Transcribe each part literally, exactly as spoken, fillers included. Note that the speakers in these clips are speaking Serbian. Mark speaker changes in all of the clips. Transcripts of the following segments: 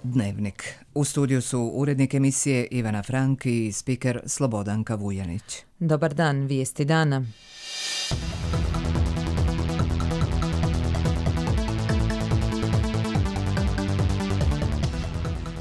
Speaker 1: Dnevnik. U studiju su urednik emisije Ivana Frank i spiker Slobodanka Vujanić.
Speaker 2: Dobar dan, vijesti dana.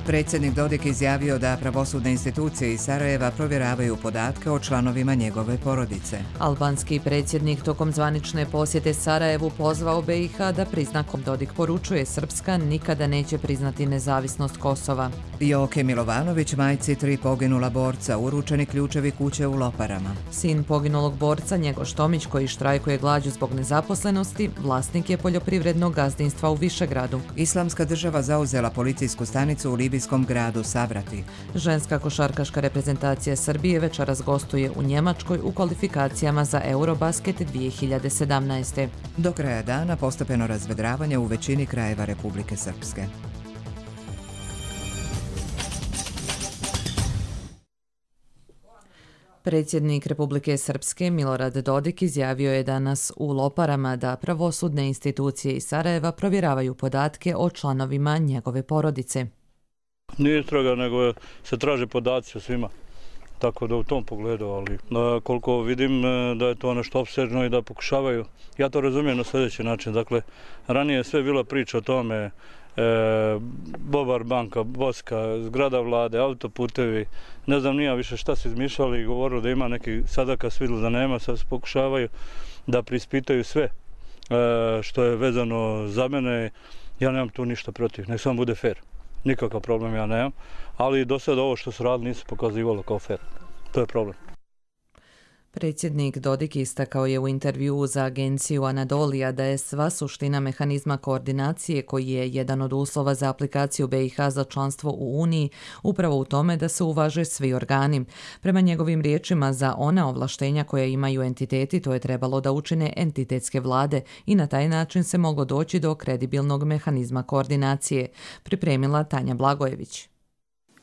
Speaker 1: Predsjednik Dodik izjavio da pravosudne institucije iz Sarajeva provjeravaju podatke o članovima njegove porodice.
Speaker 2: Albanski predsjednik tokom zvanične posjete Sarajevu pozvao B i H da prizna. Dodik poručuje, Srpska nikada neće priznati nezavisnost Kosova.
Speaker 1: Joke Milovanović, majci tri poginula borca, uručeni ključevi kuće u Loparama.
Speaker 2: Sin poginulog borca, Njegoš Tomić, koji štrajkuje glađu zbog nezaposlenosti, vlasnik je poljoprivrednog gazdinstva u Višegradu.
Speaker 1: Islamska država zauzela policijsku stanicu u libijskom gradu Savrati.
Speaker 2: Ženska košarkaška reprezentacija Srbije večeras gostuje u Njemačkoj u kvalifikacijama za Eurobasket dvije hiljade sedamnaeste.
Speaker 1: Do kraja dana postepeno razvedravanje u većini krajeva Republike Srpske.
Speaker 2: Predsjednik Republike Srpske Milorad Dodik izjavio je danas u Loparama da pravosudne institucije iz Sarajeva provjeravaju podatke o članovima njegove porodice.
Speaker 3: Nije istraga, nego se traže podaci o svima. Tako da u tom pogledu, ali koliko vidim da je to nešto opsežno i da pokušavaju. Ja to razumijem na sljedeći način. Dakle, ranije je sve bila priča o tome, e, Bobar banka, Boska, zgrada vlade, autoputevi, ne znam nija više šta se izmišljali i govorili da ima neki, sada kad su vidjeli da nema, sad se pokušavaju da prispitaju sve e, što je vezano za mene. Ja nemam tu ništa protiv, nek samo bude fair. Nikakav problem ja nemam, ali do sada ovo što su radili nisu pokazivalo kao fair. To je problem.
Speaker 2: Predsjednik Dodik istakao je u intervjuu za agenciju Anadolija da je sva suština mehanizma koordinacije, koji je jedan od uslova za aplikaciju B i H za članstvo u Uniji, upravo u tome da se uvaže svi organi. Prema njegovim riječima, za ona ovlaštenja koja imaju entiteti, to je trebalo da učine entitetske vlade i na taj način se moglo doći do kredibilnog mehanizma koordinacije, pripremila Tanja Blagojević.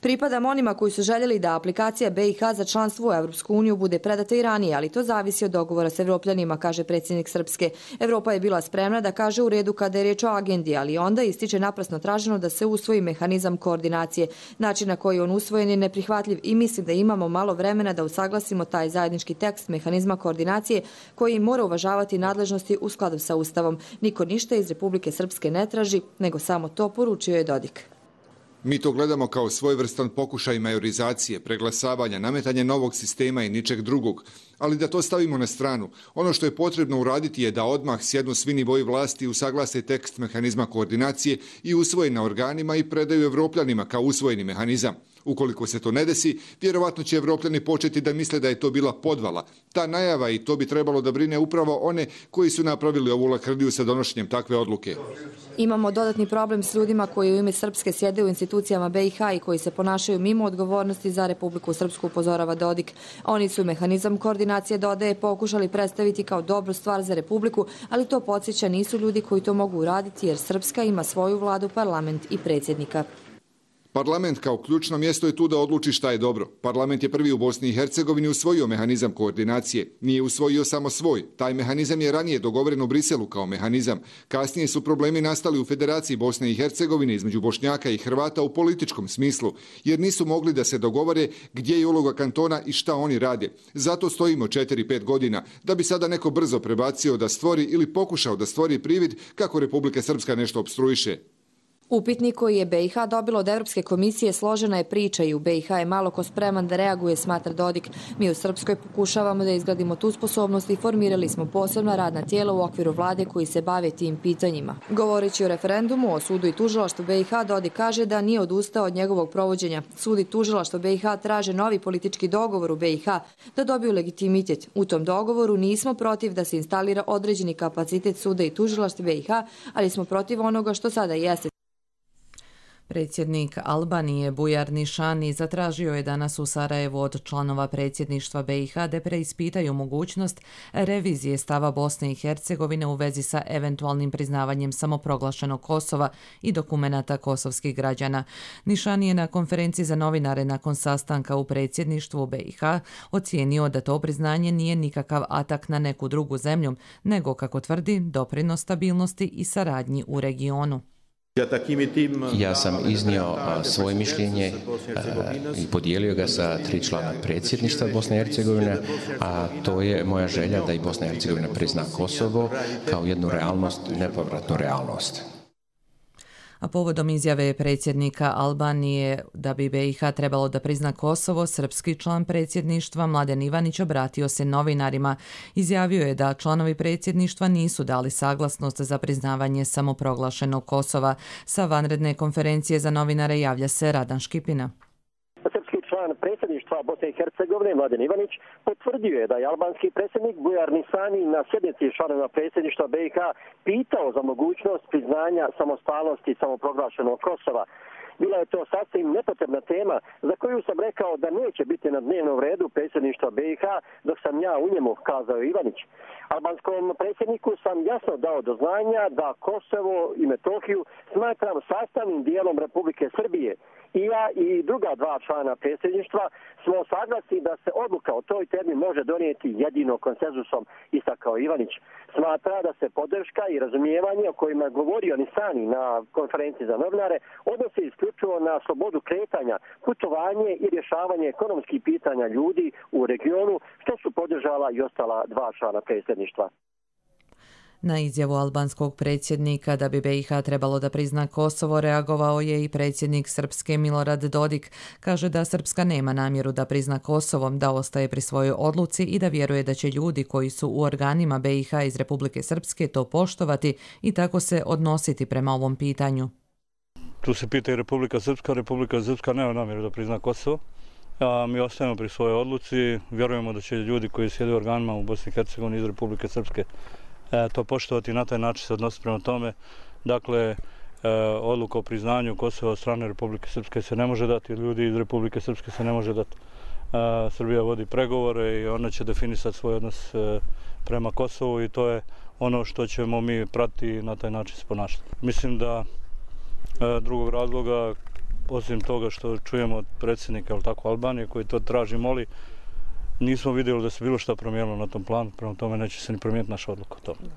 Speaker 4: Pripadam onima koji su željeli da aplikacija B i H za članstvo u Evropsku uniju bude predata i ranije, ali to zavisi od dogovora s Evropljanima, kaže predsjednik Srpske. Evropa je bila spremna da kaže u redu kada je riječ o agendi, ali onda ističe naprasno traženo da se usvoji mehanizam koordinacije. Način na koji on usvojen je neprihvatljiv i mislim da imamo malo vremena da usaglasimo taj zajednički tekst mehanizma koordinacije koji mora uvažavati nadležnosti u skladu sa Ustavom. Niko ništa iz Republike Srpske ne traži, nego samo to, poručio je Dodik.
Speaker 5: Mi to gledamo kao svojevrstan pokušaj majorizacije, preglasavanja, nametanja novog sistema i ničeg drugog, ali da to stavimo na stranu. Ono što je potrebno uraditi je da odmah sjednu svi nivoji vlasti, usaglase tekst mehanizma koordinacije i usvoje na organima i predaju Evropljanima kao usvojeni mehanizam. Ukoliko se to ne desi, vjerovatno će Evropljani početi da misle da je to bila podvala. Ta najava, i to bi trebalo da brine upravo one koji su napravili ovu lakrdiju sa donošenjem takve odluke.
Speaker 4: Imamo dodatni problem s ljudima koji u ime Srpske sjede u institucijama B i H i koji se ponašaju mimo odgovornosti za Republiku Srpsku, upozorava Dodik. Oni su mehanizam koordinacije, dodaje, pokušali predstaviti kao dobru stvar za Republiku, ali to podsjeća nisu ljudi koji to mogu uraditi jer Srpska ima svoju vladu, parlament i predsjednika.
Speaker 5: Parlament kao ključno mjesto je tu da odluči šta je dobro. Parlament je prvi u Bosni i Hercegovini usvojio mehanizam koordinacije. Nije usvojio samo svoj. Taj mehanizam je ranije dogovoren u Briselu kao mehanizam. Kasnije su problemi nastali u Federaciji Bosne i Hercegovine između Bošnjaka i Hrvata u političkom smislu, jer nisu mogli da se dogovore gdje je uloga kantona i šta oni rade. Zato stojimo četiri pet godina, da bi sada neko brzo prebacio da stvori ili pokušao da stvori privid kako Republika Srpska nešto opstruiše.
Speaker 4: Upitnik koji je B i H dobilo od Evropske komisije složena je priča i u B i H je malo ko spreman da reaguje, smatra Dodik. Mi u Srpskoj pokušavamo da izgradimo tu sposobnost i formirali smo posebna radna tijela u okviru vlade koji se bave tim pitanjima. Govoreći o referendumu, o sudu i tužilaštvu B i H, Dodik kaže da nije odustao od njegovog provođenja. Sud i tužilaštvo B i H traže novi politički dogovor u B i H da dobiju legitimitet. U tom dogovoru nismo protiv da se instalira određeni kapacitet suda i tužilaštva B i H, ali smo protiv onoga što sada jeste.
Speaker 2: Predsjednik Albanije Bujar Nišani zatražio je danas u Sarajevu od članova predsjedništva B i H da preispitaju mogućnost revizije stava Bosne i Hercegovine u vezi sa eventualnim priznavanjem samoproglašenog Kosova i dokumenata kosovskih građana. Nišani je na konferenciji za novinare nakon sastanka u predsjedništvu B i H ocijenio da to priznanje nije nikakav atak na neku drugu zemlju, nego, kako tvrdi, doprinos stabilnosti i saradnji u regionu.
Speaker 6: Ja sam iznio svoje mišljenje i podijelio ga sa tri člana predsjedništva Bosne i Hercegovine, a to je moja želja da i Bosna i Hercegovina prizna Kosovo kao jednu realnost, nepovratnu realnost.
Speaker 2: A povodom izjave predsjednika Albanije da bi B i H trebalo da prizna Kosovo, srpski član predsjedništva Mladen Ivanić obratio se novinarima. Izjavio je da članovi predsjedništva nisu dali saglasnost za priznavanje samoproglašenog Kosova. Sa vanredne konferencije za novinare javlja se Radan Škipina.
Speaker 7: Član predsjedništva Bosne i Hercegovine Mladen Ivanić potvrdio je da je albanski predsjednik Bujar Nisani na sjednici članova predsjedništva B i H pitao za mogućnost priznanja samostalnosti samoproglašenog Kosova. Bila je to sasvim nepotrebna tema za koju sam rekao da neće biti na dnevnom redu predsjedništva B i H dok sam ja u njemu, kazao Ivanić. Albanskom predsjedniku sam jasno dao do znanja da Kosovo i Metohiju smatram sastavnim dijelom Republike Srbije. I ja i druga dva člana predsjedništva smo saglasni da se odluka o toj temi može donijeti jedino konsenzusom, istakao Ivanić. Smatra da se podrška i razumijevanje o kojima je govorio Nisani na konferenciji za novinare odnosi isključivo na slobodu kretanja, putovanje i rješavanje ekonomskih pitanja ljudi u regionu, što su podržala i ostala dva člana predsjedništva.
Speaker 2: Na izjavu albanskog predsjednika da bi B i H trebalo da prizna Kosovo reagovao je i predsjednik Srpske Milorad Dodik. Kaže da Srpska nema namjeru da prizna Kosovo, da ostaje pri svojoj odluci i da vjeruje da će ljudi koji su u organima B i H iz Republike Srpske to poštovati i tako se odnositi prema ovom pitanju.
Speaker 3: Tu se pita i Republika Srpska. Republika Srpska nema namjeru da prizna Kosovo. A mi ostajemo pri svojoj odluci. Vjerujemo da će ljudi koji sjede u organima u Bosni i Hercegovini iz Republike Srpske to poštovati i na taj način se odnositi prema tome. Dakle, odluka o priznanju Kosova od strane Republike Srpske se ne može dati, ljudi iz Republike Srpske se ne može dati. Srbija vodi pregovore i ona će definisati svoj odnos prema Kosovu i to je ono što ćemo mi pratiti i na taj način se ponašati. Mislim da drugog razloga, osim toga što čujemo od predsjednika Albanije koji to traži, moli, nismo vidjeli da se bilo šta promijenilo na tom planu, prema tome neće se ni promijeniti naša odluka o tome.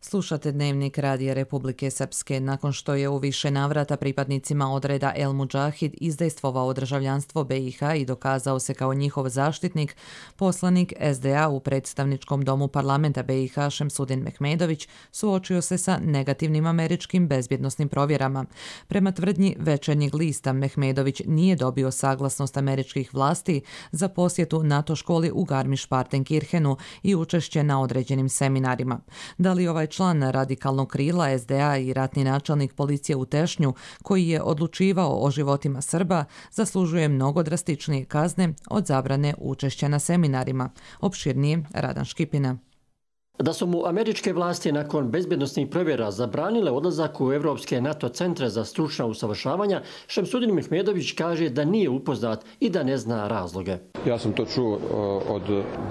Speaker 2: Slušate Dnevnik Radija Republike Srpske. Nakon što je u više navrata pripadnicima odreda El Mudžahid izdejstvovao državljanstvo B i H i dokazao se kao njihov zaštitnik, poslanik S D A u predstavničkom domu parlamenta B i H Šemsudin Mehmedović suočio se sa negativnim američkim bezbjednosnim provjerama. Prema tvrdnji Večernjeg lista, Mehmedović nije dobio saglasnost američkih vlasti za posjetu NATO školi u Garmisch-Partenkirchenu i učešće na određenim seminarima. Da li ovaj član radikalnog krila S D A i ratni načelnik policije u Tešnju, koji je odlučivao o životima Srba, zaslužuje mnogo drastičnije kazne od zabrane učešća na seminarima. Opširnije Radan Škipina.
Speaker 8: Da su mu američke vlasti nakon bezbjednosnih provjera zabranile odlazak u evropske NATO centre za stručna usavršavanja, Šemsudin Mehmedović kaže da nije upoznat i da ne zna razloge.
Speaker 9: Ja sam to čuo od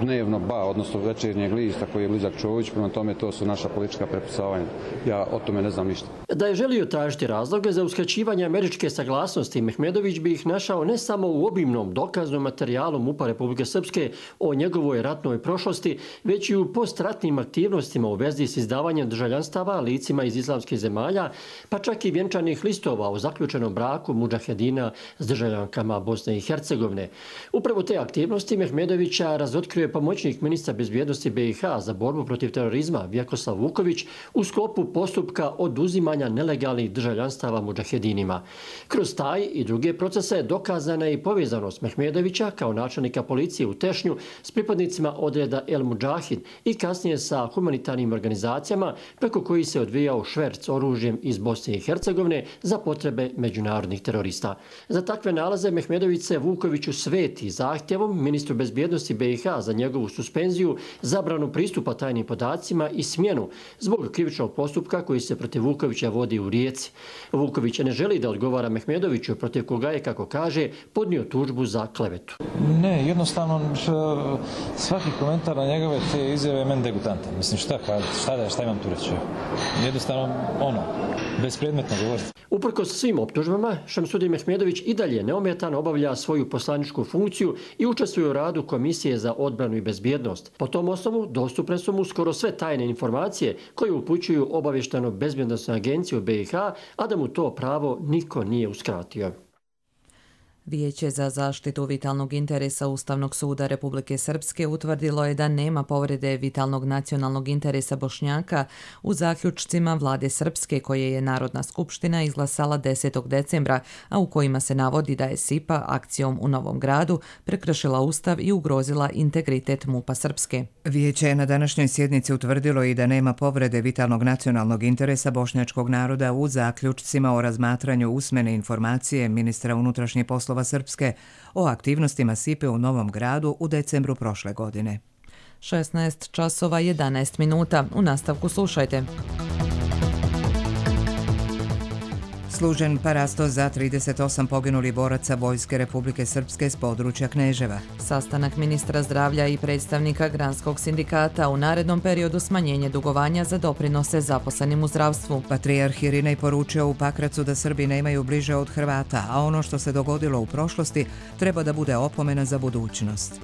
Speaker 9: dnevno ba, odnosno Večernjeg lista koji je blizak Čović, prema tome to su naša politička prepucavanja. Ja o tome ne znam ništa.
Speaker 8: Da je želio tražiti razloge za uskraćivanje američke saglasnosti, Mehmedović bi ih našao ne samo u obimnom dokaznom materijalu MUP-a Republike Srpske o njegovoj ratnoj prošlosti, već i u postratnim aktivnostima u vezi s izdavanjem državljanstava licima iz islamskih zemalja, pa čak i vjenčanih listova o zaključenom braku mudžahedina s državljankama Bosne i Hercegovine. Upravo te aktivnosti Mehmedovića razotkrio je pomoćnik ministra bezbjednosti B i H za borbu protiv terorizma Vjekoslav Vuković u sklopu postupka oduzimanja nelegalnih državljanstava mudžahedinima. Kroz taj i druge procese dokazana je i povezanost Mehmedovića kao načelnika policije u Tešnju s pripadnicima odreda El Mudžahid i kasnije sa humanitarnim organizacijama preko koji se odvijao šverc oružjem iz Bosne i Hercegovine za potrebe međunarodnih terorista. Za takve nalaze Mehmedović se Vukoviću sveti zahtjevom ministru bezbjednosti B i H za njegovu suspenziju, zabranu pristupa tajnim podacima i smjenu zbog krivičnog postupka koji se protiv Vukovića vodi u Rijeci. Vuković ne želi da odgovara Mehmedoviću, protiv koga je, kako kaže, podnio tužbu za klevetu.
Speaker 10: Ne, jednostavno svaki komentar na njegove te izjave je meni degutantan. Mislim, šta, šta, šta imam tu reći? Jednostavno, ono, bespredmetno govoriti.
Speaker 8: Uprkos svim optužbama, Šamsudin Mehmedović i dalje neometano obavlja svoju poslaničku funkciju i učestvuje u radu Komisije za odbranu i bezbjednost. Po tom osnovu dostupne su mu skoro sve tajne informacije koje upućuju obavještajno-bezbjednosnu agenciju B i H, a da mu to pravo niko nije uskratio.
Speaker 2: Vijeće za zaštitu vitalnog interesa Ustavnog suda Republike Srpske utvrdilo je da nema povrede vitalnog nacionalnog interesa Bošnjaka u zaključcima vlade Srpske koje je Narodna skupština izglasala desetog decembra, a u kojima se navodi da je S I P A akcijom u Novom Gradu prekršila Ustav i ugrozila integritet MUP-a Srpske.
Speaker 1: Vijeće je na današnjoj sjednici utvrdilo i da nema povrede vitalnog nacionalnog interesa bošnjačkog naroda u zaključcima o razmatranju usmene informacije ministra unutrašnjih poslova Srpske o aktivnostima S I P A u Novom Gradu u decembru prošle godine.
Speaker 2: šesnaest časova jedanaest minuta. U nastavku slušajte.
Speaker 1: Služen parasto za trideset osam poginulih boraca Vojske Republike Srpske s područja Kneževa.
Speaker 2: Sastanak ministra zdravlja i predstavnika Granskog sindikata u narednom periodu smanjenje dugovanja za doprinose zaposlenim u zdravstvu.
Speaker 1: Patrijarh Irinej poručio u Pakracu da Srbi nemaju bliže od Hrvata, a ono što se dogodilo u prošlosti treba da bude opomena za budućnost.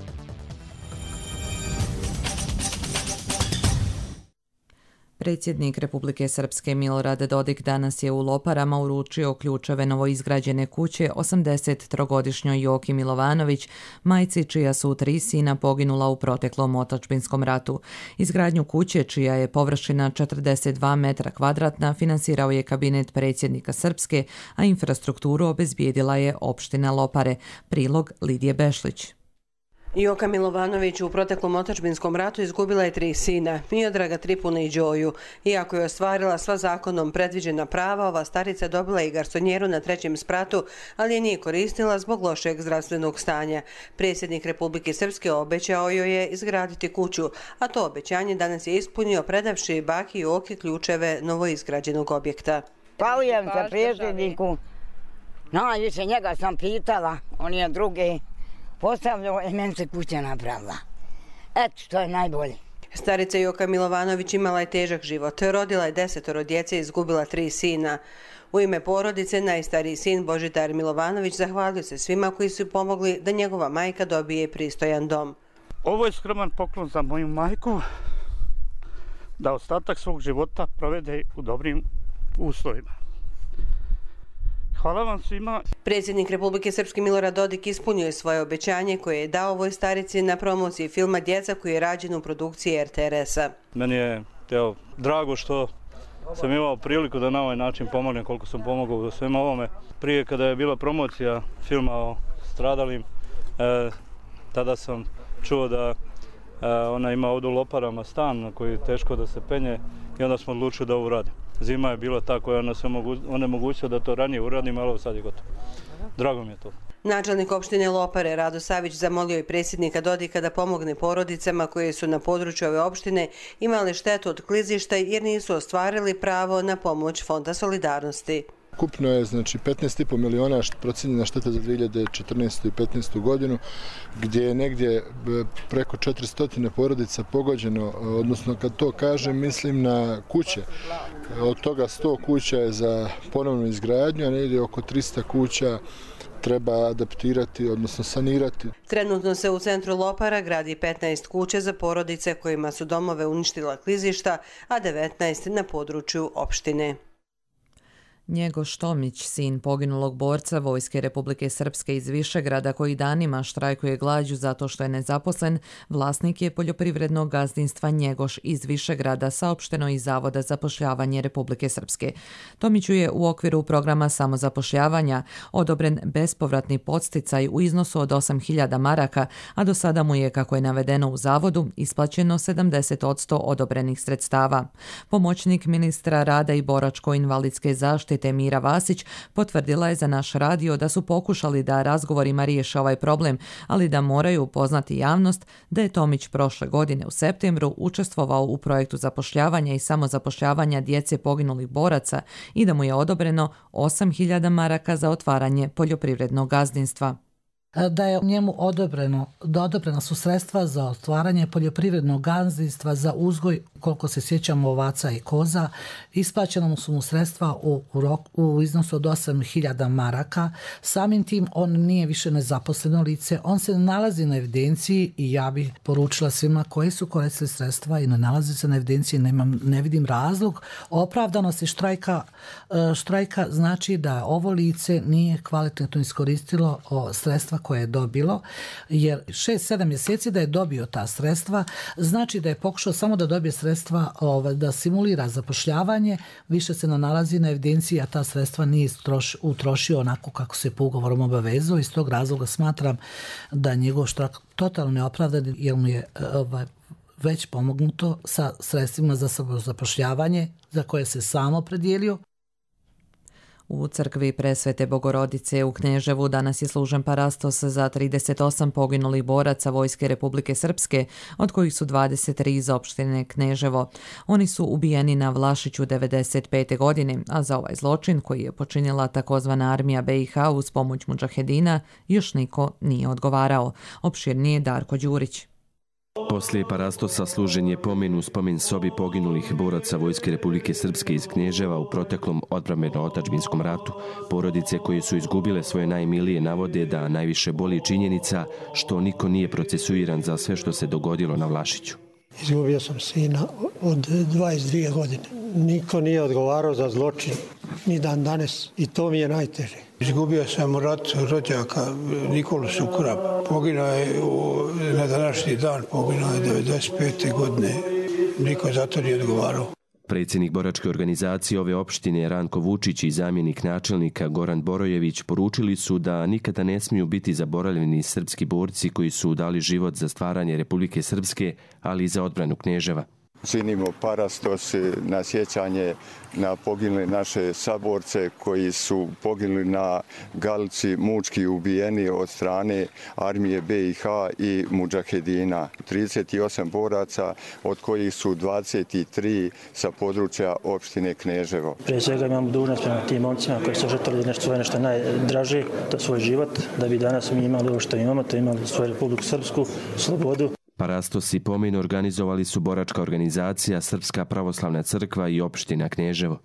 Speaker 2: Predsjednik Republike Srpske Milorad Dodik danas je u Loparama uručio ključeve novoizgrađene kuće osamdesettrogodišnjoj Joki Milovanović, majci čija su tri sina poginula u proteklom otadžbinskom ratu. Izgradnju kuće, čija je površina četrdeset dva metra kvadratna, finansirao je kabinet predsjednika Srpske, a infrastrukturu obezbijedila je opština Lopare. Prilog Lidije Bešlić.
Speaker 11: Joka Milovanović u proteklom otadžbinskom ratu izgubila je tri sina, Miodraga, Tripuna i Đoju. Iako je ostvarila sva zakonom predviđena prava, ova starica dobila i garsonjeru na trećem spratu, ali je nije koristila zbog lošeg zdravstvenog stanja. Predsjednik Republike Srpske obećao joj je izgraditi kuću, a to obećanje danas je ispunio predavši baki Joki ključeve novoizgrađenog objekta.
Speaker 12: Zahvaljujem se predsjedniku, najviše njega sam pitala, on je drugi postavljao i meni se kuća napravila. Eto što je najbolje.
Speaker 11: Starica Joka Milovanović imala je težak život. Rodila je desetoro djece i izgubila tri sina. U ime porodice najstariji sin Božidar Milovanović zahvalio se svima koji su pomogli da njegova majka dobije pristojan dom.
Speaker 13: Ovo je skroman poklon za moju majku, da ostatak svog života provede u dobrim uslovima. Hvala vam svima.
Speaker 11: Predsjednik Republike Srpske Milorad Dodik ispunio je svoje obećanje koje je dao ovoj starici na promociji filma Djeca koji je rađen u produkciji R T R S-a.
Speaker 3: Meni je evo, drago što sam imao priliku da na ovaj način pomognem koliko sam pomogao u svema ovome. Prije kada je bila promocija filma o stradalim, e, tada sam čuo da e, ona ima ovdje u Loparama stan na koji je teško da se penje i onda smo odlučili da ovo uradim. Zima je bila ta koja nas onemogućila da to ranije uradim, ali ovo sad je gotovo. Drago mi je to.
Speaker 11: Načelnik opštine Lopare Rado Savić zamolio je predsjednika Dodika da pomogne porodicama koje su na području ove opštine imali štetu od klizišta jer nisu ostvarili pravo na pomoć Fonda solidarnosti.
Speaker 14: Ukupno je znači petnaest i po miliona procijenjena šteta za dvije hiljade četrnaestu i petnaestu godinu, gdje je negdje preko četiristo porodica pogođeno, odnosno kad to kažem mislim na kuće. Od toga sto kuća je za ponovnu izgradnju, a negdje oko tristo kuća treba adaptirati, odnosno sanirati.
Speaker 11: Trenutno se u centru Lopara gradi petnaest kuća za porodice kojima su domove uništila klizišta, a devetnaest na području opštine.
Speaker 2: Njegoš Tomić, sin poginulog borca Vojske Republike Srpske iz Višegrada koji danima štrajkuje glađu zato što je nezaposlen, vlasnik je poljoprivrednog gazdinstva Njegoš iz Višegrada, saopšteno iz Zavoda zapošljavanje Republike Srpske. Tomiću je u okviru programa samozapošljavanja odobren bespovratni podsticaj u iznosu od osam hiljada maraka, a do sada mu je, kako je navedeno u Zavodu, isplaćeno sedamdeset posto odobrenih sredstava. Pomoćnik ministra rada i boračko-invalidske zaštite Mira Vasić potvrdila je za naš radio da su pokušali da razgovorima riješe ovaj problem, ali da moraju upoznati javnost da je Tomić prošle godine u septembru učestvovao u projektu zapošljavanja i samozapošljavanja djece poginulih boraca i da mu je odobreno osam hiljada maraka za otvaranje poljoprivrednog gazdinstva.
Speaker 15: Da je njemu odobreno, da odobrena su sredstva za otvaranje poljoprivrednog gazdinstva za uzgoj koliko se sjećamo ovaca i koza. Isplaćeno su mu sredstva u, u, rok, u iznosu od osam hiljada maraka. Samim tim on nije više nezaposleno lice, on se ne nalazi na evidenciji i ja bih poručila svima koji su koristili sredstva i ne nalazi se na evidenciji, nemam, ne vidim razlog. Opravdanosti štrajka, štrajka znači da ovo lice nije kvalitetno iskoristilo sredstva koje je dobilo, jer šest sedam mjeseci da je dobio ta sredstva, znači da je pokušao samo da dobije sredstva, da simulira zapošljavanje, više se ne nalazi na evidenciji, a ta sredstva nije utrošio onako kako se po ugovorom obavezao. Iz tog razloga smatram da njegov štrajk totalno neopravdan, jer mu je ovaj, već pomognuto sa sredstvima za zapošljavanje za koje se samo predijelio.
Speaker 2: U crkvi Presvete Bogorodice u Kneževu danas je služen parastos za trideset osam poginulih boraca Vojske Republike Srpske, od kojih su dvadeset tri iz opštine Kneževo. Oni su ubijeni na Vlašiću devedeset pete godine, a za ovaj zločin koji je počinila takozvana armija B i H uz pomoć mudžahedina još niko nije odgovarao. Opširnije Darko Đurić.
Speaker 16: Poslije parastosa služen je pomen u spomen sobi poginulih boraca Vojske Republike Srpske iz Knježeva u proteklom odbrambeno-otadžbinskom ratu. Porodice koje su izgubile svoje najmilije navode da najviše boli činjenica što niko nije procesuiran za sve što se dogodilo na Vlašiću.
Speaker 17: Izgubio sam sina od dvadeset dvije godine. Niko nije odgovarao za zločin, ni dan danas, i to mi je najteže.
Speaker 18: Izgubio sam u ratu rođaka Nikolu Sukura. Poginuo je u, na današnji dan, poginuo je devedeset pete godine. Niko za to nije odgovarao.
Speaker 16: Predsjednik boračke organizacije ove opštine Ranko Vučić i zamjenik načelnika Goran Borojević poručili su da nikada ne smiju biti zaboravljeni srpski borci koji su dali život za stvaranje Republike Srpske, ali i za odbranu Kneževa.
Speaker 19: Činimo parastos na sjećanje na poginule naše saborce koji su poginuli na Galici, mučki ubijeni od strane armije B i H i mudžahedina. trideset osam boraca, od kojih su dvadeset tri sa područja opštine Kneževo.
Speaker 20: Prije svega imamo dužnost prema tim momcima koji su žrtvovali nešto svoje nešto najdraže, to svoj život, da bi danas mi imali ovo što imamo, to imali svoju Republiku Srpsku, slobodu.
Speaker 16: Parastos i pomen organizovali su boračka organizacija, Srpska pravoslavna crkva i opština Kneževo.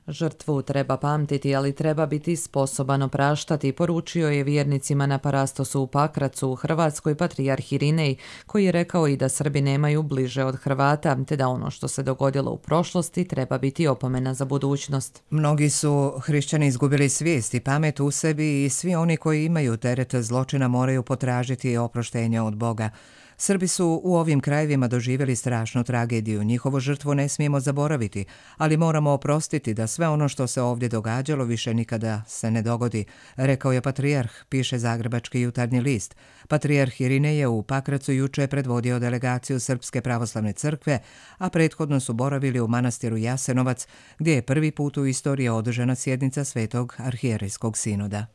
Speaker 2: Žrtvu treba pamtiti, ali treba biti sposoban opraštati, poručio je vjernicima na parastosu u Pakracu u Hrvatskoj patrijarh Irinej, koji je rekao i da Srbi nemaju bliže od Hrvata, te da ono što se dogodilo u prošlosti treba biti opomena za budućnost.
Speaker 1: Mnogi su hrišćani izgubili svijest i pamet u sebi i svi oni koji imaju teret zločina moraju potražiti oproštenje od Boga. Srbi su u ovim krajevima doživjeli strašnu tragediju. Njihovu žrtvu ne smijemo zaboraviti, ali moramo oprostiti da sve ono što se ovdje događalo više nikada se ne dogodi, rekao je patrijarh, piše Zagrebački jutarnji list. Patrijarh Irinej je u Pakracu juče predvodio delegaciju Srpske pravoslavne crkve, a prethodno su boravili u manastiru Jasenovac, gdje je prvi put u istoriji održana sjednica Svetog arhijerejskog sinoda.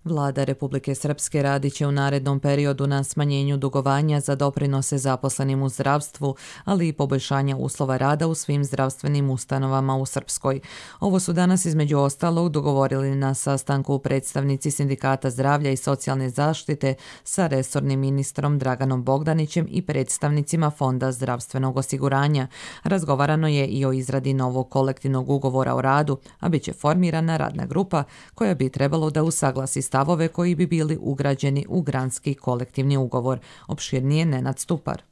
Speaker 2: Vlada Republike Srpske radit će u narednom periodu na smanjenju dugovanja za doprinose zaposlenim u zdravstvu, ali i poboljšanja uslova rada u svim zdravstvenim ustanovama u Srpskoj. Ovo su danas između ostalog dogovorili na sastanku predstavnici Sindikata zdravlja i socijalne zaštite sa resornim ministrom Draganom Bogdanićem i predstavnicima Fonda zdravstvenog osiguranja. Razgovarano je i o izradi novog kolektivnog ugovora o radu, a bit će formirana radna grupa koja bi trebalo da usaglasi stavove koji bi bili ugrađeni u granski kolektivni ugovor. Opširnije Nenad Stupar.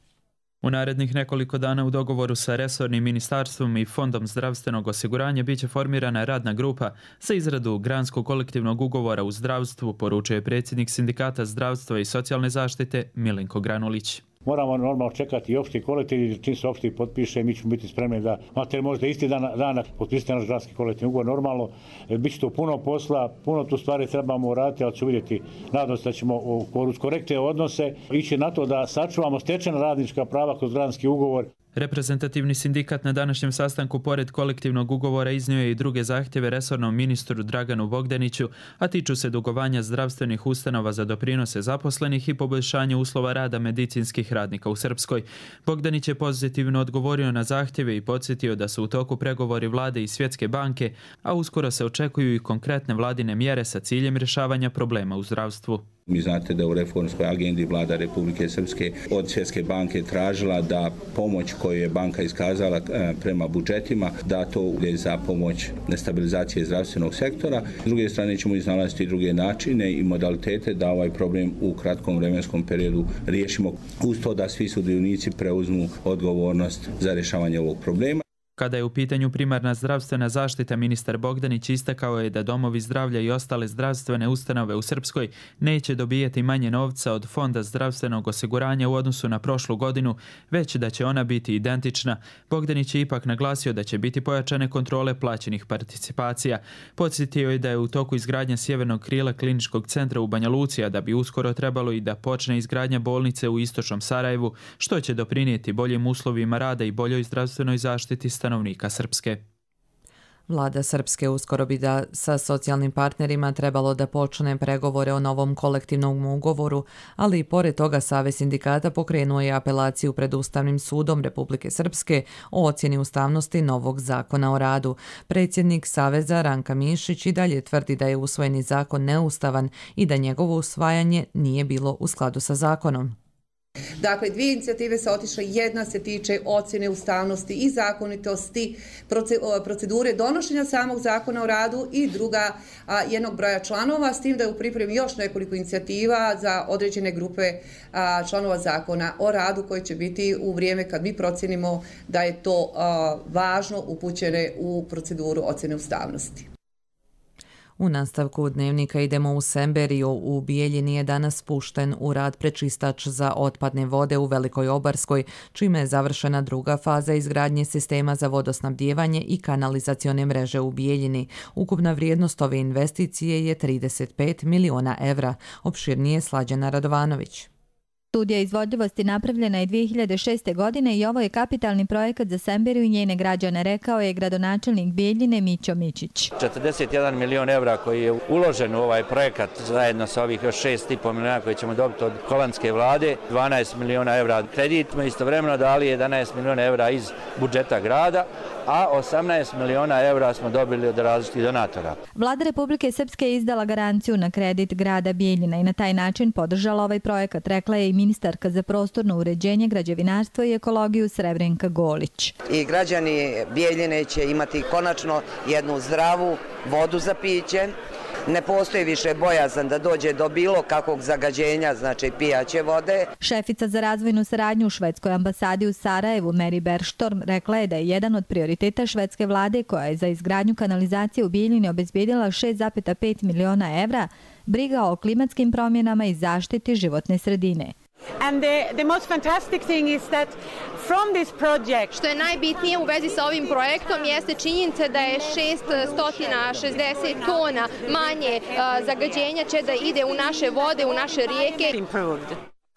Speaker 21: U narednih nekoliko dana u dogovoru sa resornim ministarstvom i Fondom zdravstvenog osiguranja biće formirana radna grupa za izradu granskog kolektivnog ugovora u zdravstvu, poručuje predsjednik Sindikata zdravstva i socijalne zaštite Milenko Granulić.
Speaker 22: Moramo normalno čekati i opšti kolektiv, čim se opšti potpiše, mi ćemo biti spremni da, mater možda isti dan, dana potpisati naš granski kolektivni ugovor, normalno, bit će to puno posla, puno tu stvari trebamo uraditi, ali ću vidjeti, nadam se da ćemo uz korektne odnose ići na to da sačuvamo stečena radnička prava kroz granski ugovor.
Speaker 21: Reprezentativni sindikat na današnjem sastanku pored kolektivnog ugovora iznio je i druge zahtjeve resornom ministru Draganu Bogdaniću, a tiču se dugovanja zdravstvenih ustanova za doprinose zaposlenih i poboljšanje uslova rada medicinskih radnika u Srpskoj. Bogdanić je pozitivno odgovorio na zahtjeve i podsjetio da su u toku pregovori vlade i Svjetske banke, a uskoro se očekuju i konkretne vladine mjere sa ciljem rješavanja problema u zdravstvu.
Speaker 4: Mi znate da u reformskoj agendi vlada Republike Srpske od Svjetske banke tražila da pomoć koju je banka iskazala prema budžetima, da to ide za pomoć stabilizacije zdravstvenog sektora. S druge strane ćemo iznalaziti druge načine i modalitete da ovaj problem u kratkom vremenskom periodu riješimo, uz to da svi sudionici preuzmu odgovornost za rješavanje ovog problema.
Speaker 21: Kada je u pitanju primarna zdravstvena zaštita, ministar Bogdanić istakao je da domovi zdravlja i ostale zdravstvene ustanove u Srpskoj neće dobijati manje novca od Fonda zdravstvenog osiguranja u odnosu na prošlu godinu, već da će ona biti identična. Bogdanić je ipak naglasio da će biti pojačane kontrole plaćenih participacija. Podsjetio je da je u toku izgradnja sjevernog krila kliničkog centra u Banja Luci, a da bi uskoro trebalo i da počne izgradnja bolnice u istočnom Sarajevu, što će doprinijeti boljim uslovima rada i boljoj zdravstvenoj zaštiti stanovnika Srpske.
Speaker 2: Vlada Srpske uskoro bi da sa socijalnim partnerima trebalo da počne pregovore o novom kolektivnom ugovoru, ali i pored toga Savez sindikata pokrenuo je apelaciju pred Ustavnim sudom Republike Srpske o ocjeni ustavnosti novog zakona o radu. Predsjednik Saveza Ranka Mišić i dalje tvrdi da je usvojeni zakon neustavan i da njegovo usvajanje nije bilo u skladu sa zakonom.
Speaker 5: Dakle, dvije inicijative se otišle, jedna se tiče ocjene ustavnosti i zakonitosti procedure donošenja samog zakona o radu i druga a, jednog broja članova, s tim da je u pripremi još nekoliko inicijativa za određene grupe a, članova zakona o radu koje će biti u vrijeme kad mi procjenimo da je to a, važno upućene u proceduru ocjene ustavnosti.
Speaker 2: U nastavku dnevnika idemo u Semberiju. U Bijeljini je danas pušten u rad prečistač za otpadne vode u Velikoj Obarskoj, čime je završena druga faza izgradnje sistema za vodosnabdijevanje i kanalizacione mreže u Bijeljini. Ukupna vrijednost ove investicije je trideset pet miliona evra. Opširnije Slađana Radovanović.
Speaker 23: Studija izvodljivosti napravljena je dvije hiljade šeste. godine i ovo je kapitalni projekat za Semberiju i njene građane, rekao je gradonačelnik Bijeljine Mićo Mićić.
Speaker 24: četrdeset jedan milion evra koji je uložen u ovaj projekat zajedno sa ovih još šest i pol miliona koji ćemo dobiti od holandske vlade, dvanaest miliona evra kredit, smo istovremeno dali jedanaest miliona evra iz budžeta grada, a osamnaest miliona evra smo dobili od različitih donatora.
Speaker 23: Vlada Republike Srpske je izdala garanciju na kredit grada Bijeljina i na taj način podržala ovaj projekat, rekla je i ministarka za prostorno uređenje, građevinarstvo i ekologiju Srebrenka Golić.
Speaker 25: I građani Bijeljine će imati konačno jednu zdravu vodu za piće. Ne postoji više bojazan da dođe do bilo kakvog zagađenja, znači pijaće vode.
Speaker 23: Šefica za razvojnu saradnju u švedskoj ambasadi u Sarajevu, Mary Berštorm, rekla je da je jedan od prioriteta švedske vlade, koja je za izgradnju kanalizacije u Bijeljini obezbedila šest zarez pet miliona evra, briga o klimatskim promjenama i zaštiti životne sredine.
Speaker 26: And the, the most fantastic thing is that from this project...
Speaker 27: Što je najbitnije u vezi sa ovim projektom jeste činjenica da je šeststo šezdeset tona manje uh, zagađenja će da ide u naše vode, u naše rijeke.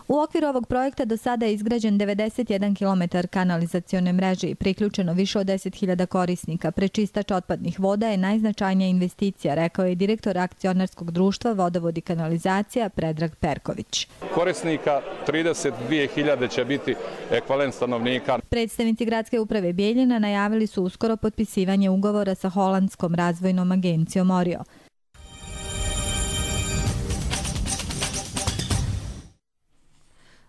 Speaker 23: U okviru ovog projekta do sada je izgrađen devedeset jedan kilometar kanalizacione mreže i priključeno više od deset hiljada korisnika. Prečistač otpadnih voda je najznačajnija investicija, rekao je direktor akcionarskog društva Vodovod i kanalizacija Predrag Perković.
Speaker 28: Korisnika trideset dvije hiljade će biti ekvivalent stanovnika.
Speaker 23: Predstavnici gradske uprave Bijeljina najavili su uskoro potpisivanje ugovora sa holandskom razvojnom agencijom Orio.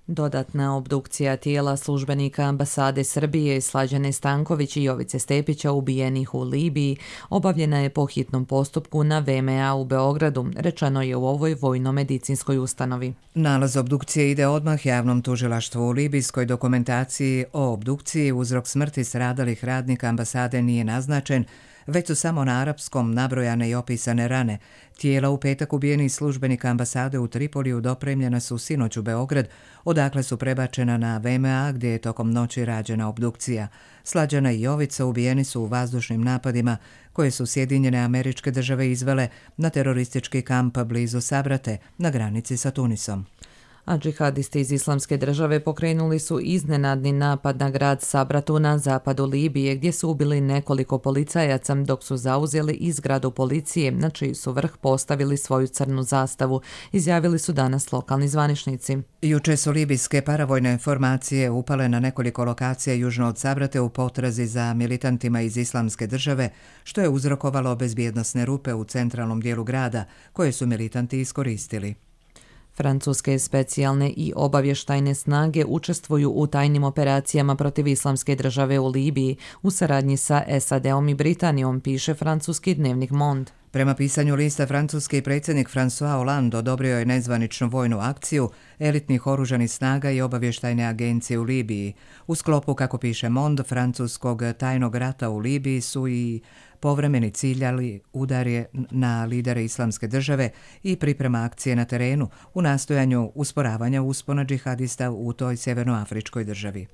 Speaker 2: Dodatna obdukcija tijela službenika ambasade Srbije Slađane Stanković i Jovice Stepića ubijenih u Libiji obavljena je po hitnom postupku na V M A u Beogradu, rečeno je u ovoj vojno-medicinskoj ustanovi.
Speaker 1: Nalaz obdukcije ide odmah javnom tužilaštvu. U libijskoj dokumentaciji o obdukciji uzrok smrti stradalih radnika ambasade nije naznačen, već su samo na arapskom nabrojane i opisane rane. Tijela u petak ubijenih službenika ambasade u Tripoliju dopremljena su sinoć u Beograd, odakle su prebačena na V M A gdje je tokom noći rađena obdukcija. Slađana i Jovica ubijeni su u vazdušnim napadima koje su Sjedinjene Američke Države izvele na teroristički kamp blizu Sabrate na granici sa Tunisom.
Speaker 2: A džihadisti iz Islamske države pokrenuli su iznenadni napad na grad Sabratu na zapadu Libije, gdje su ubili nekoliko policajaca dok su zauzeli i zgradu policije, na čiji su vrh postavili svoju crnu zastavu, izjavili su danas lokalni zvaničnici.
Speaker 1: Juče su libijske paravojne formacije upale na nekoliko lokacija južno od Sabrate u potrazi za militantima iz Islamske države, što je uzrokovalo bezbjednosne rupe u centralnom dijelu grada, koje su militanti iskoristili.
Speaker 2: Francuske specijalne i obavještajne snage učestvuju u tajnim operacijama protiv Islamske države u Libiji u saradnji sa S A D-om i Britanijom, piše francuski dnevnik Monde.
Speaker 1: Prema pisanju lista, francuski predsjednik François Hollande odobrio je nezvaničnu vojnu akciju elitnih oružanih snaga i obavještajne agencije u Libiji. U sklopu, kako piše Monde, francuskog tajnog rata u Libiji su i povremeni ciljali udare na lidere Islamske države i priprema akcije na terenu u nastojanju usporavanja uspona džihadista u toj sjevernoafričkoj državi.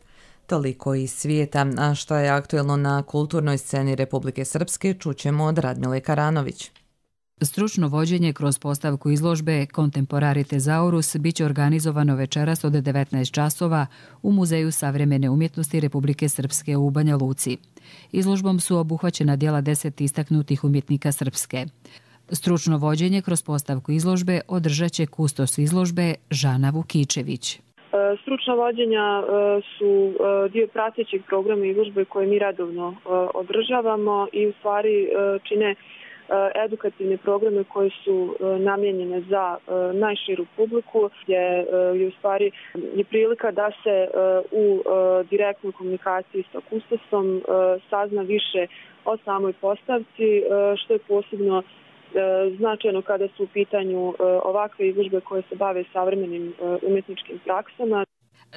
Speaker 2: Toliko iz svijeta, a što je aktuelno na kulturnoj sceni Republike Srpske, čućemo od Radmile Karanović.
Speaker 3: Stručno vođenje kroz postavku izložbe Contemporari Thesaurus biće organizovano večeras od devetnaest časova u Muzeju savremene umjetnosti Republike Srpske u Banja Luci. Izložbom su obuhvaćena djela deset istaknutih umjetnika Srpske. Stručno vođenje kroz postavku izložbe održat će kustos izložbe Žana Vukičević.
Speaker 6: Stručna vođenja su dio pratećeg programa izložbe koje mi redovno održavamo i u stvari čine edukativne programe koje su namijenjene za najširu publiku, gdje je u stvari je prilika da se u direktnoj komunikaciji sa kustosom sazna više o samoj postavci, što je posebno značajno kada su u pitanju ovakve izložbe koje se bave savremenim umjetničkim praksama.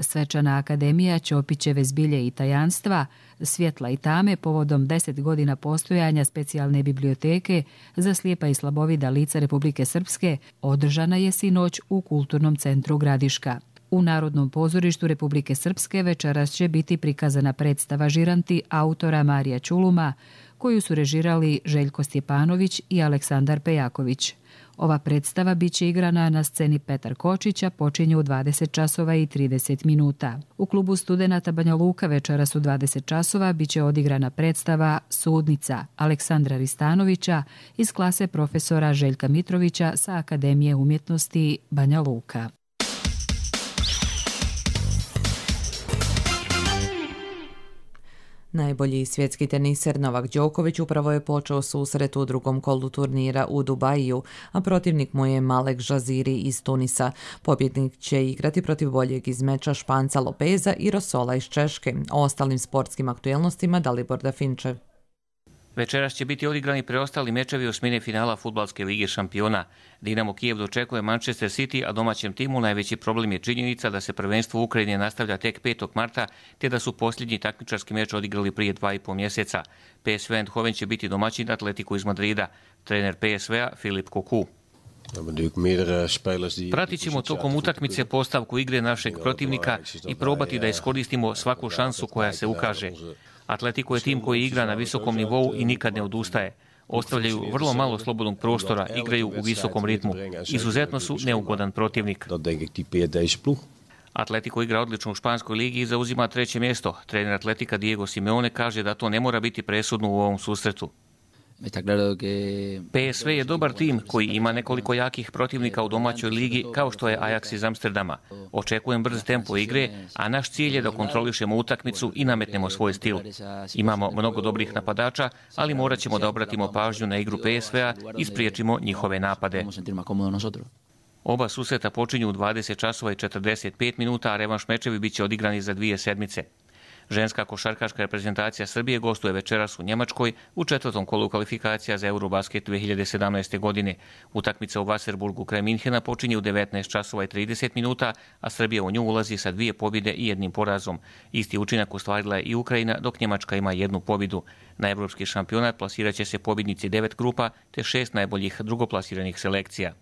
Speaker 3: Svečana akademija Ćopićeve zbilje i tajanstva, svjetla i tame povodom deset godina postojanja specijalne biblioteke za slijepa i slabovida lica Republike Srpske održana je sinoć u Kulturnom centru Gradiška. U Narodnom pozorištu Republike Srpske večeras će biti prikazana predstava Žiranti autora Marija Ćuluma, koju su režirali Željko Stjepanović i Aleksandar Pejaković. Ova predstava biće igrana na sceni Petar Kočića, počinje u dvadeset časova i trideset minuta. U klubu studenata Banja Luka večeras u dvadeset časova biće odigrana predstava Sudnica Aleksandra Ristanovića iz klase profesora Željka Mitrovića sa Akademije umjetnosti Banja Luka.
Speaker 2: Najbolji svjetski teniser Novak Đoković upravo je počeo susret u drugom kolu turnira u Dubaju, a protivnik mu je Malek Žaziri iz Tunisa. Pobjednik će igrati protiv boljeg iz meča Španca Lopeza i Rosola iz Češke. O ostalim sportskim aktuelnostima Dalibor Dafinčev.
Speaker 7: Večeras će biti odigrani preostali mečevi osmine finala Fudbalske lige šampiona. Dinamo Kijev dočekuje Manchester City, a domaćem timu najveći problem je činjenica da se prvenstvo u Ukrajini nastavlja tek petog marta, te da su posljednji takmičarski meč odigrali prije dva i pol mjeseca. P S V Eindhoven će biti domaćin Atletiku iz Madrida. Trener P S V-a Filip Koku. Pratit ćemo tokom utakmice postavku igre našeg protivnika i probati da iskoristimo svaku šansu koja se ukaže. Atletico je tim koji igra na visokom nivou i nikad ne odustaje. Ostavljaju vrlo malo slobodnog prostora, igraju u visokom ritmu. Izuzetno su neugodan protivnik. Atletico igra odlično u Španskoj ligi i zauzima treće mjesto. Trener Atletika Diego Simeone kaže da to ne mora biti presudno u ovom susretu. P S V je dobar tim koji ima nekoliko jakih protivnika u domaćoj ligi kao što je Ajax iz Amsterdama. Očekujem brz tempo igre, a naš cilj je da kontrolišemo utakmicu i nametnemo svoj stil. Imamo mnogo dobrih napadača, ali morat ćemo da obratimo pažnju na igru P S V-a i spriječimo njihove napade. Oba susreta počinju u dvadeset časova i četrdeset pet minuta, a revanš mečevi bit će odigrani za dvije sedmice. Ženska košarkaška reprezentacija Srbije gostuje večeras u Njemačkoj u četvrtom kolu kvalifikacija za Eurobasket dvije hiljade sedamnaeste. godine. Utakmica u Wasserburgu kraj Minhena počinje u devetnaest časova i trideset minuta, a Srbija u nju ulazi sa dvije pobjede i jednim porazom. Isti učinak ostvarila je i Ukrajina, dok Njemačka ima jednu pobjedu. Na evropski šampionat plasirat će se pobjednici devet grupa te šest najboljih drugoplasiranih selekcija.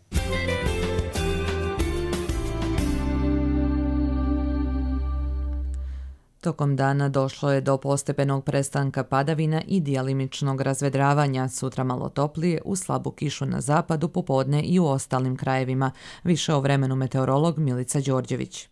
Speaker 2: Tokom dana došlo je do postepenog prestanka padavina i dijalimičnog razvedravanja, sutra malo toplije, u slabu kišu na zapadu, popodne i u ostalim krajevima. Više o vremenu meteorolog Milica Đorđević.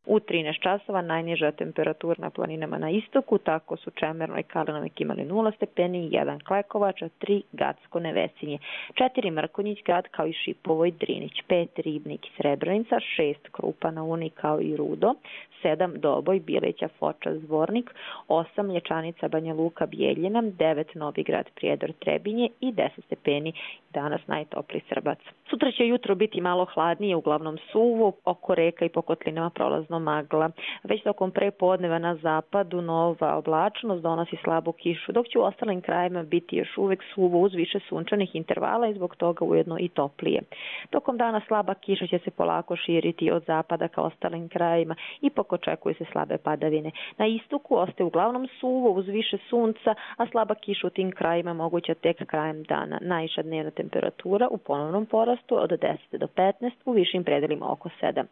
Speaker 8: U trinaest časova najniža temperatura na planinama na istoku, tako su Čemerno i Kalinovik imali nula stepeni, jedan Klekovač, a tri Gacko Nevesinje, četiri Mrkonjić grad kao i Šipovo i Drinić, pet Ribnik i Srebrenica, šest Krupa na Uni kao i Rudo, sedam Doboj, Bileća, Foča, Zvornik, osam Lječanica, Banja Luka, Bijeljina, devet Novigrad, Prijedor, Trebinje i deset stepeni danas najtopliji Srbac. Sutra će jutro biti malo hladnije, uglavnom suvo, oko reka i po kotlinama prolazno magla. Već tokom prepodneva na zapadu nova oblačnost donosi slabu kišu, dok će u ostalim krajima biti još uvek suvo uz više sunčanih intervala i zbog toga ujedno i toplije. Tokom dana slaba kiša će se polako širiti od zapada ka ostalim krajima i ipak očekuju se slabe padavine. Na istoku ostaje uglavnom suvo uz više sunca, a slaba kiša u tim krajima moguća tek krajem dana. Najviša dnevna temperatura u ponovnom porastu od deset do petnaest, u višim predelima oko sedam.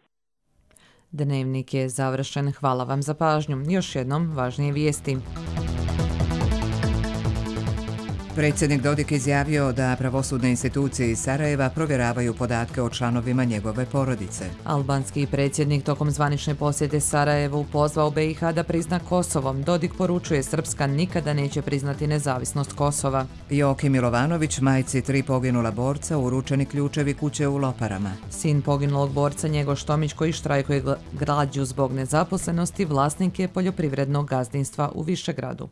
Speaker 2: Dnevnik je završen. Hvala vam za pažnju. Još jednom važnije vijesti.
Speaker 1: Predsjednik Dodik izjavio da pravosudne institucije iz Sarajeva provjeravaju podatke o članovima njegove porodice.
Speaker 2: Albanski predsjednik tokom zvanične posjete Sarajevu pozvao B i H da prizna Kosovo. Dodik poručuje Srpska nikada neće priznati nezavisnost Kosova.
Speaker 1: Joki Milovanović, majci tri poginula borca, uručeni ključevi kuće u Loparama.
Speaker 2: Sin poginulog borca Njegoš Tomić, koji štrajkuje glađu zbog nezaposlenosti, vlasnik je poljoprivrednog gazdinstva u Višegradu.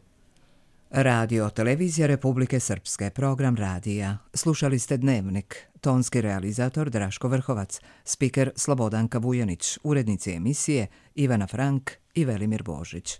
Speaker 1: Radio Televizija Republike Srpske, program radija. Slušali ste Dnevnik. Tonski realizator Draško Vrhovac, spiker Slobodanka Vujanić, urednici emisije Ivana Frank i Velimir Božić.